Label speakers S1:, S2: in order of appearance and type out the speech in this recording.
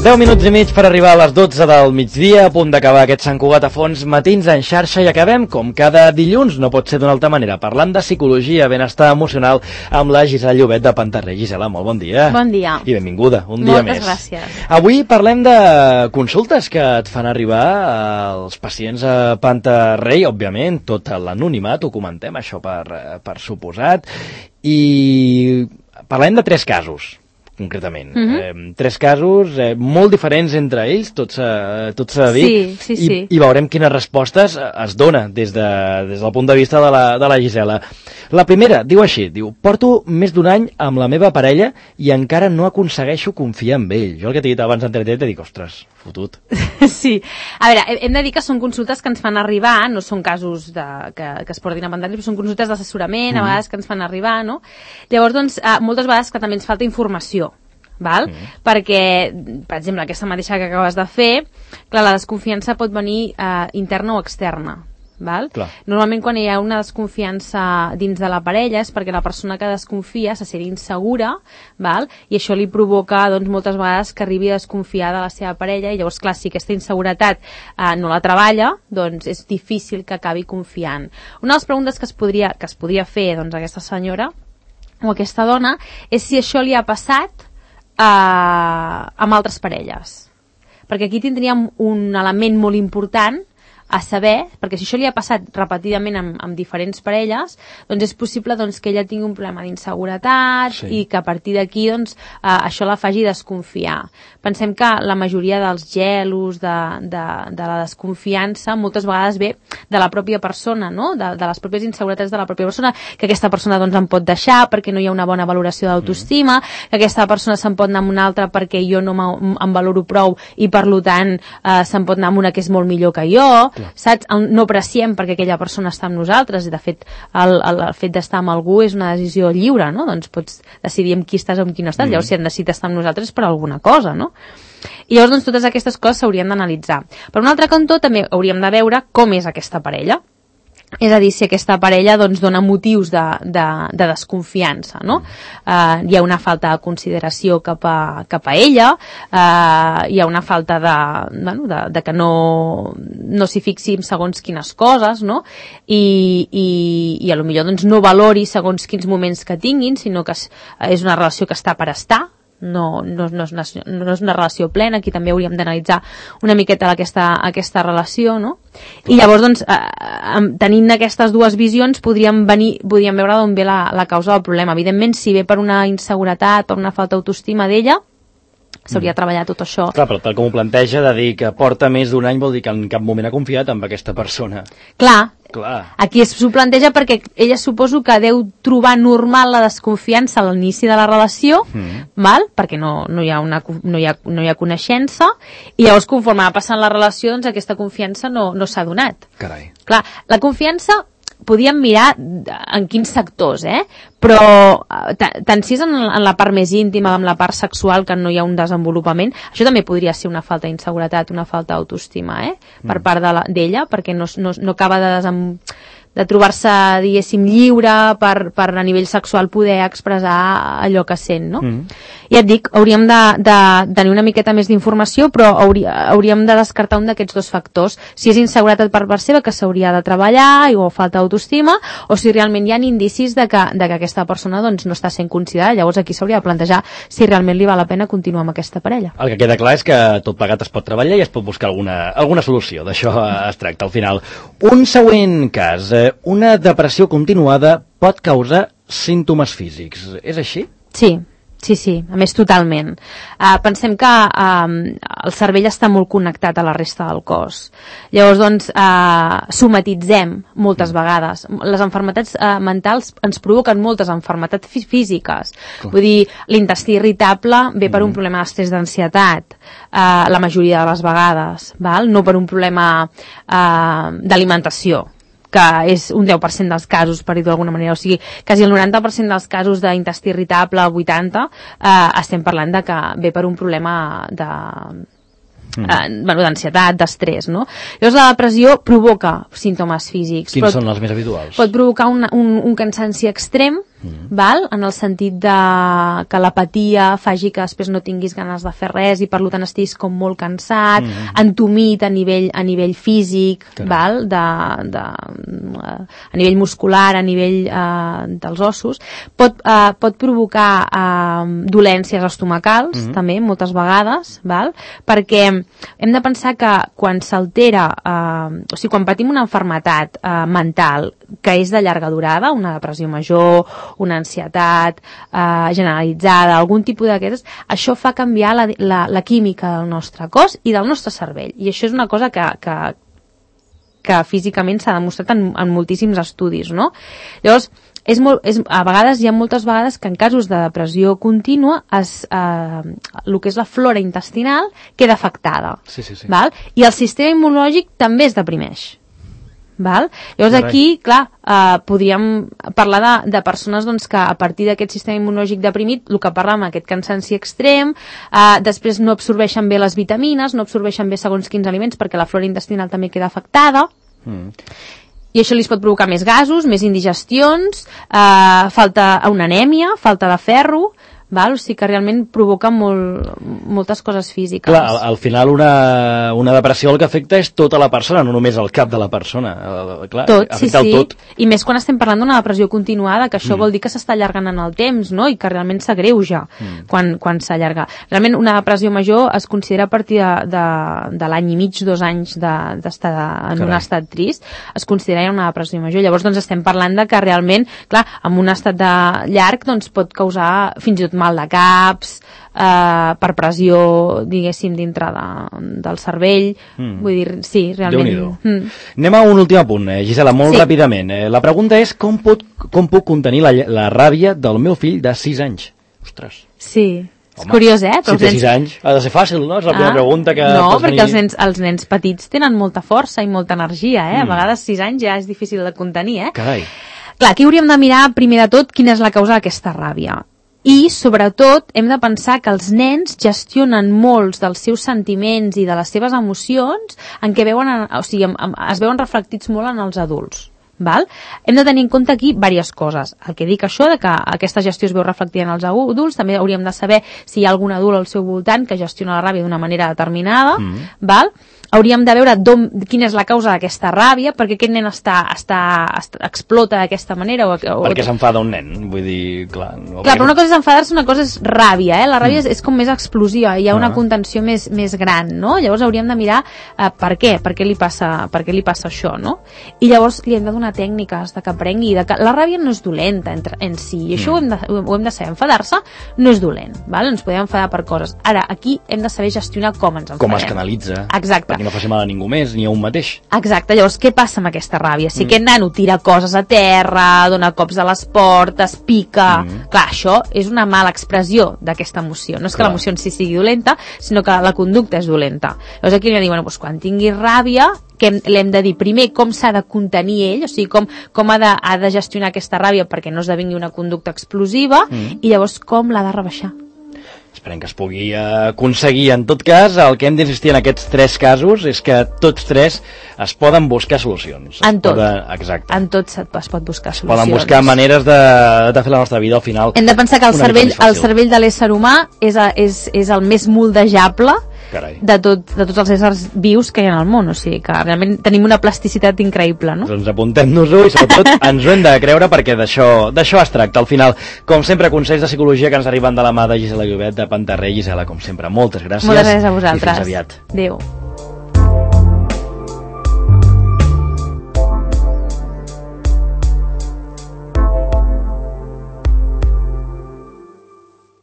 S1: 10 minuts i mig per arribar a les 12 del migdia, a punt d'acabar aquest Sant Cugat a fons, matins en xarxa, i acabem, com cada dilluns, no pot ser d'una altra manera, parlant de psicologia, benestar emocional, amb la Gisela Llobet de Pantarrey. Gisela, molt bon dia.
S2: Bon dia.
S1: I benvinguda, un dia més.
S2: Moltes gràcies.
S1: Avui parlem de consultes que et fan arribar als pacients a Pantarrey, òbviament, tot l'anonimat, ho comentem, això per suposat, i parlem de 3 casos, concretament. 3 casos molt diferents entre ells, tot s'ha de dir.
S2: Sí.
S1: I veurem quines respostes es dona des del punt de vista de la Gisela. La primera, diu així, porto més d'un any amb la meva parella i encara no aconsegueixo confiar en ell. Jo el que t'he dit abans d'entretenir t'he dit, ostres, fotut.
S2: Sí. A veure, hem de dir que són consultes que ens fan arribar, no són casos que es portin a Pantarrey, però són consultes d'assessorament, a vegades que ens fan arribar, no? Llavors, doncs, moltes vegades que també ens falta informació, val? Perquè, per exemple, aquesta mateixa que acabes de fer, clar, la desconfiança pot venir interna o externa. Val? Normalment quan hi ha una desconfiança dins de la parella és perquè la persona que desconfia se sent insegura, val? I això li provoca doncs, moltes vegades que arribi a desconfiar de la seva parella, i llavors, clar, si aquesta inseguretat no la treballa, doncs és difícil que acabi confiant. Una de les preguntes que es podria fer doncs, a aquesta senyora o a aquesta dona és si això li ha passat amb altres parelles, perquè aquí tindríem un element molt important a saber, perquè si això li ha passat repetidament amb diferents parelles, doncs és possible doncs, que ella tingui un problema d'inseguretat i que a partir d'aquí doncs, això la faci desconfiar. Pensem que la majoria dels gelos, de la desconfiança, moltes vegades ve de la pròpia persona, no? de les pròpies inseguretats de la pròpia persona, que aquesta persona doncs, em pot deixar perquè no hi ha una bona valoració d'autoestima, que aquesta persona se'n pot anar amb una altra perquè jo no em valoro prou i per tant se'n pot anar amb una que és molt millor que jo, saps? No apreciem perquè aquella persona està amb nosaltres, i de fet el fet d'estar amb algú és una decisió lliure, no? Doncs pots decidir amb qui estàs o amb qui no estàs. Llavors si han decidit estar amb nosaltres és per alguna cosa, no? I llavors doncs, totes aquestes coses s'haurien d'analitzar. Per un altre cantó també hauríem de veure com és aquesta parella. És a dir, si aquesta parella doncs, dona motius de desconfiança, no? Hi ha una falta de consideració cap a ella, hi ha una falta de que no s'hi fixi en segons quines coses, no? I a lo millor doncs, no valori segons quins moments que tinguin, sinó que és una relació que està per estar, no és una relació plena. Aquí també hauríem d'analitzar una miqueta aquesta relació, no? I llavors, doncs, tenint aquestes dues visions, podríem veure d'on ve la causa del problema. Evidentment, si ve per una inseguretat, per una falta d'autoestima d'ella, s'hauria de treballar tot això.
S1: Clar, però tal com ho planteja, de dir que porta més d'un any vol dir que en cap moment ha confiat en aquesta persona.
S2: Clar. Aquí s'ho planteja perquè ella suposo que deu trobar normal la desconfiança a l'inici de la relació, val? Perquè no hi ha coneixença, i llavors conforme va passant la relació doncs aquesta confiança no s'ha donat.
S1: Carai.
S2: Clar, la confiança podíem mirar en quins sectors, però tant si és en la part més íntima, en la part sexual, que no hi ha un desenvolupament, això també podria ser una falta d'inseguretat, una falta d'autoestima, per part d'ella, perquè no acaba de trobar-se, diguéssim, lliure per a nivell sexual poder expressar allò que sent, no? Ja et dic, hauríem de tenir una miqueta més d'informació, però hauríem de descartar un d'aquests dos factors. Si és inseguretat per part seva, que s'hauria de treballar, o falta d'autoestima, o si realment hi ha indicis de que aquesta persona doncs, no està sent considerada. Llavors aquí s'hauria de plantejar si realment li val la pena continuar amb aquesta parella.
S1: El que queda clar és que tot plegat es pot treballar i es pot buscar alguna solució. D'això es tracta al final. Un següent cas. Una depressió continuada pot causar símptomes físics. És així?
S2: Sí, a més totalment. Pensem que el cervell està molt connectat a la resta del cos. Llavors, doncs, somatitzem moltes vegades. Les malalties mentals ens provoquen moltes malalties físiques. Vull dir, l'intestí irritable ve per un problema d'estrès d'ansietat, la majoria de les vegades, val? No per un problema d'alimentació, que és un 10% dels casos, per dir-ho d'alguna manera. O sigui, quasi el 90% dels casos d'intestí irritable, el 80%, estem parlant de que ve per un problema d'ansietat, d'estrès, no? Llavors la depressió provoca símptomes físics.
S1: Quins són els més habituals?
S2: Pot provocar un cansanci extrem, val? En el sentit de que l'apatia faci que després no tinguis ganes de fer res i per tant estiguis com molt cansat, entumit a nivell físic, val? A nivell muscular, a nivell dels ossos. Pot provocar dolències estomacals, també, moltes vegades, val? Perquè hem de pensar que quan s'altera, o sigui, quan patim una malaltia mental que és de llarga durada, una depressió major, una ansietat generalitzada, algun tipus d'aquestes, això fa canviar la química del nostre cos i del nostre cervell. I això és una cosa que físicament s'ha demostrat en moltíssims estudis, no? Llavors, a vegades, hi ha moltes vegades que en casos de depressió contínua el que és la flora intestinal queda afectada.
S1: Sí.
S2: Val? I el sistema immunològic també es deprimeix. Val? Llavors aquí, clar, podríem parlar de persones doncs, que a partir d'aquest sistema immunològic deprimit, el que parlàvem, aquest cansanci extrem, després no absorbeixen bé les vitamines, no absorbeixen bé segons quins aliments perquè la flora intestinal també queda afectada, i això li pot provocar més gasos, més indigestions, una anèmia, falta de ferro, val? O sigui que realment provoca moltes coses físiques.
S1: Clar, al final una depressió el que afecta és tota la persona, no només el cap de la persona. Clar, afecta el tot.
S2: I més quan estem parlant d'una depressió continuada, que això vol dir que s'està allargant en el temps, no? I que realment s'agreuja quan s'allarga. Realment una depressió major es considera a partir de l'any i mig, 2 anys d'estar en un estat trist, es considera una depressió major. Llavors doncs estem parlant de que realment, clar, en un estat llarg doncs pot causar fins i tot mal de caps, per pressió, diguéssim, dintre del cervell. Vull dir, sí, realment.
S1: Anem a un últim apunt, Gisela, molt ràpidament. La pregunta és com puc contenir la ràbia del meu fill de 6 anys? Ostres.
S2: Sí. És curiós, eh?
S1: Si té 6 anys, ha de ser fàcil, no? És la primera pregunta que...
S2: No, perquè els nens petits tenen molta força i molta energia, eh? A vegades 6 anys ja és difícil de contenir, eh?
S1: Carai.
S2: Clar, aquí hauríem de mirar, primer de tot, quina és la causa d'aquesta ràbia. I, sobretot, hem de pensar que els nens gestionen molts dels seus sentiments i de les seves emocions en què es veuen reflectits molt en els adults. Val? Hem de tenir en compte aquí diverses coses. El que dic això, de que aquesta gestió es veu reflectida en els adults, també hauríem de saber si hi ha algun adult al seu voltant que gestiona la ràbia d'una manera determinada. Val? Hauríem de veure quina és la causa d'aquesta ràbia, perquè aquest nen explota d'aquesta manera.
S1: Perquè s'enfada un nen, vull dir, clar.
S2: Clar, però una cosa és enfadar-se, una cosa és ràbia, La ràbia és com més explosiva, hi ha una contenció més gran, no? Llavors hauríem de mirar per què li passa això, no? I llavors li hem de donar tècniques de que aprengui, que la ràbia no és dolenta en si, i això ho hem de saber. Enfadar-se no és dolent, val? Ens podem enfadar per coses. Ara, aquí hem de saber gestionar com ens enfadem.
S1: Com es canalitza.
S2: Exacte.
S1: Perquè no faci mal a ningú més, ni a un mateix.
S2: Exacte, llavors què passa amb aquesta ràbia? Si aquest nano tira coses a terra, dona cops a les portes, pica... Clar, això és una mala expressió d'aquesta emoció. No és que l'emoció en si sigui dolenta, sinó que la conducta és dolenta. Llavors aquí hem de dir, bueno, quan tingui ràbia, que l'hem de dir primer com s'ha de contenir ell, o sigui, com ha de gestionar aquesta ràbia perquè no esdevingui una conducta explosiva, i llavors com l'ha de rebaixar.
S1: Esperem que es pugui aconseguir. En tot cas, el que hem d'insistir en aquests 3 casos és que tots 3 es poden buscar solucions.
S2: En tot.
S1: Exacte.
S2: En tot es pot buscar solucions.
S1: Poden buscar maneres de fer la nostra vida al final.
S2: Hem de pensar que el cervell de l'ésser humà és el més moldejable de tots els éssers vius que hi ha al món, o sigui que realment tenim una plasticitat increïble, no?
S1: Doncs apuntem-nos-ho i sobretot ens ho hem de creure perquè d'això es tracta. Al final, com sempre, consells de psicologia que ens arriben de la mà de Gisela Llobet de Pantarrey. Gisela, com sempre, moltes gràcies.
S2: Moltes gràcies a vosaltres.
S1: I fins aviat.
S2: Adéu.